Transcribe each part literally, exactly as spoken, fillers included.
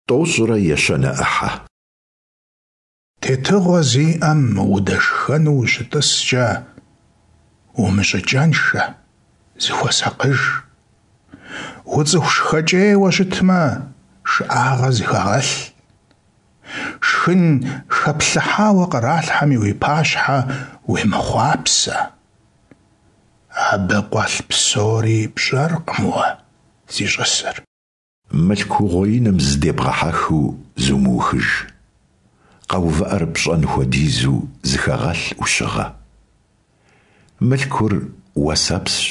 Тӏощӏрэ ещанэ ӏыхьэ. Тетыгъуэ зиӀэм удэшхэну ущытӀыскӀэ, умыщӀыкӀэншэ, зыхуэсакъыж. УцӀыху шхэкӀейуэ щытмэ, шыӀагъэ зыхэгъэлъ. Шхын хэплъыхьауэ къралъхьэми уи пащхьэ уемыхъуапсэ. Абы къуэлъ псори пщӀэркъым уэ зищӀысыр. Мылъку угъуеиным зыдебгъэхьэхыу зумыухыж. КъэувыӀэр пщӀэн хуэдизу зыхэгъэлъ Ӏущыгъэ. Мылъкур уэсэпсщ,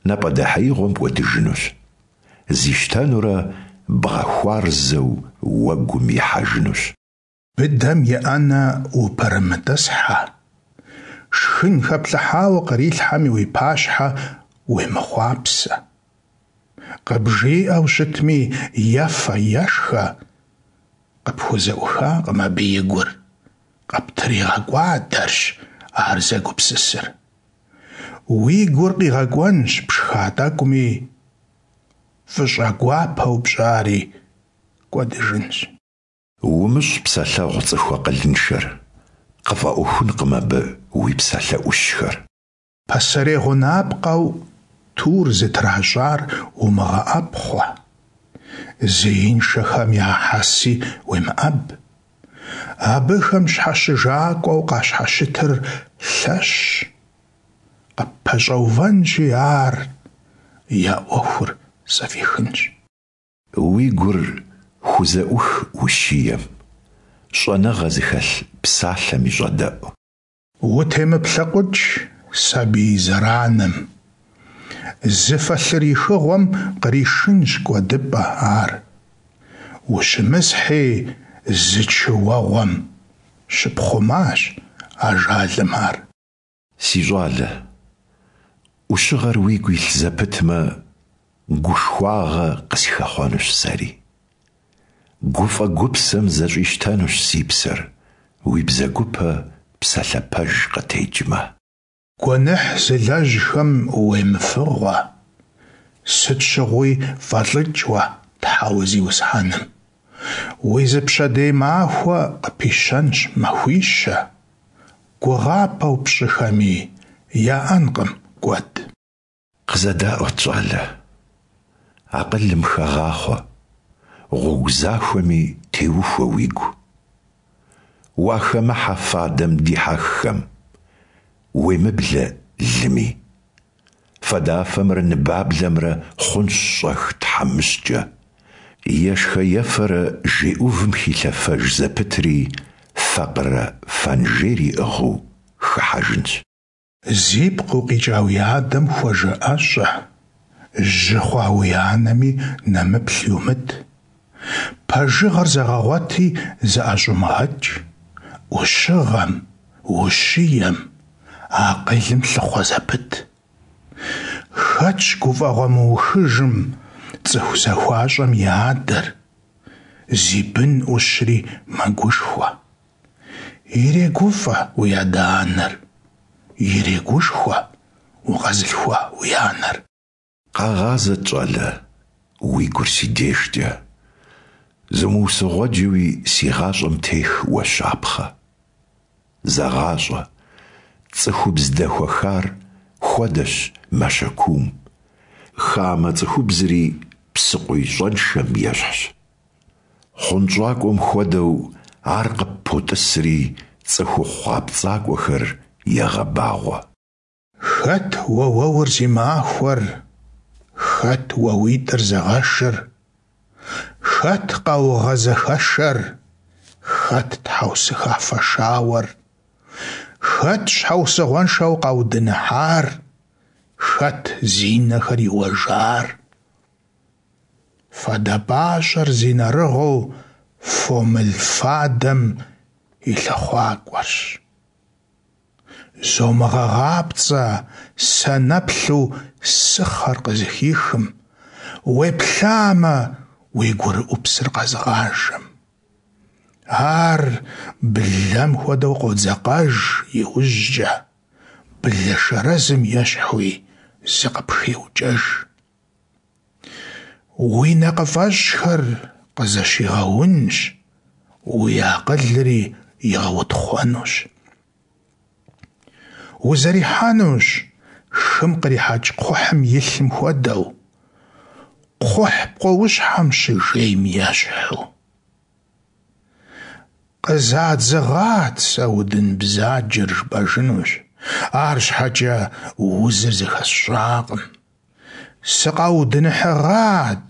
напӀэдэхьеигъуэм кӀуэдыжынущ, зищтэнурэ бгъэхуарзэу уэгум ихьэжынущ. Быдэм и Ӏэнэ упэрымытӀысхьэ, шхын хэплъыхьауэ кърилъхьэми уи пащхьэ уемыхъуапсэ. КъыбжиӀэу щытми, ефэ, ешхэ, къыпхузэӀухакъым абы и гур, къыптригъэкӀуадэрщ ар зэгупсысыр. Уи гур къигъэкӀуэнщ пшха тӀэкӀуми, фӀыщӀэгуапэу пщӀари кӀуэдыжынщ. УмыщӀ псэлъэгъу цӀыху акъылыншэр, къыфӀэӀуэхункъым абы уи псалъэ Ӏущхэр. Пасэрей гъунапкъэу тур зытращӀар умыгъэӀэпхъуэ, зеиншэхэм я хьэси уемыӀэб. Абыхэм щхьэщыжакӀуэу къащхьэщытыр лъэщщ, къыппэщӀэувэнщи ар, я Ӏуэхур зэфӀихынщ. Уи гур хузэӀух ущием, щӀэныгъэ зыхэлъ псалъэми щӀэдэӀу. УтемыплъэкъукӀ сабий зэраным, зы фэлъыр ихыгъуэм къришынщ кӀуэдыпӀэ ар. Ущымысхьи зы чы уэгъуэм, щыпхъумащ ажалым ар. Си щӀалэ, Ӏущыгъэр уигу илъ зэпытмэ, гушхуагъэ къысхэхъуэнущ сэри. ГуфӀэ-гупсэм зэщӀищтэнущ си псэр, уи бзэгупэ псалъэ пэж къытекӀмэ. Гуэныхь зылэжьхэм уемыфыгъуэ, сыт щыгъуи фӀэлӀыкӀ уэ Тхьэуэ Зиусхьэным. Уи зы пщэдей махуэ къыпищэнщ махуищэ, гугъапӀэу пщӀыхэми яӀэнкъым кӀуэд. КъызэдаӀуэт, щӀалэ, акъылым хэгъахъуэ, гъуэгу захуэми теухуэ уигу. Уахэмыхьэ фадэм дихьэххэм, уемыблэ лыми. Фадафэмрэ ныбаблэмрэ хъунщ щӀэх тхьэмыщкӀэ. Ешхэ-ефэрэ жей Ӏувым хилъэфэж зэпытри факъырэ фэнжейр иӀыгъыу хыхьэжынщ. Зипкъ укъикӀа уи адэм хуэжыӀэщӀэ, жьы хъуа уи анэми нэмыплъ йумыт. Пэжыгъэр зэгъэгъуэти зыӀэщӀумыгъэкӀ, Ӏущыгъэм, ущием, акъылым лъыхъуэ зэпыт. Хэтщ гуфӀэгъуэ мыухыжым цӀыху захуащӀэм и адэр, зи бын Ӏущри мэгушхуэ. ИрегуфӀэ уи адэ-анэр, ирегушхуэ укъэзылъхуа уи анэр. Къэгъазэт, щӀалэ, уи гур си дежкӀэ, зумыусыгъуэджэуи си гъащӀэм тех уэ щапхъэ. ЗэгъащӀэ, цӀыхубз дэхуэхар хуэдэщ мащэ куум, хамэ цӀыхубзри псыкъуий щӀэншэм ещхьщ. ХъунщӀакӀуэм хуэдэу, ар къыппотӀысри, цӀыхухъу гъэпцӀакӀуэхэр егъэбагъуэ. Хэт уэуэур зи махуэр, хэт уэуитӀыр зыгъэшыр, хэт къаугъэ зэхэшэр, хэт тхьэусыхафэ шауэр, хэт щхьэусыгъуэншэу къаудыныхьар, хэт зи нэхэр иуэжар? Фадэ пӀащӀэр зи нэрыгъыу фомыл фадэм и лъыхъуакӀуэрщ. ЗомыгъэгъапцӀэ санэплъу сыхъэр къызыхихым, уеплъамэ, уи гурыӀупсыр къэзыгъажэм. Ар блэм хуэдэу къодзэкъэж иужькӀэ, блэ шэрэзым ещхьуи зыкъыпхеукӀэж. Уи нэкъыфӀэщӀхэр къызэщигъэунщ, уи акъылри игъэутхъуэнущ. Узэрихьэнущ хым кърихьэкӀ кхъухьым и лъым хуэдэу, кхъухь пкъоущхьэм щыжейм ещхьу. Къызадзыгъат сэ удын бзаджэр, жыпӀэжынущ, арщхьэкӀэ узыр зыхэсщӀакъым. Сыкъаудыныхьыгъат,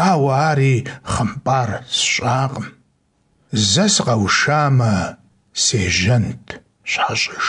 ауэ ари хъымпӀар сщӀакъым. Зэ сыкъэушамэ, сежьэнт щхьэщӀыж.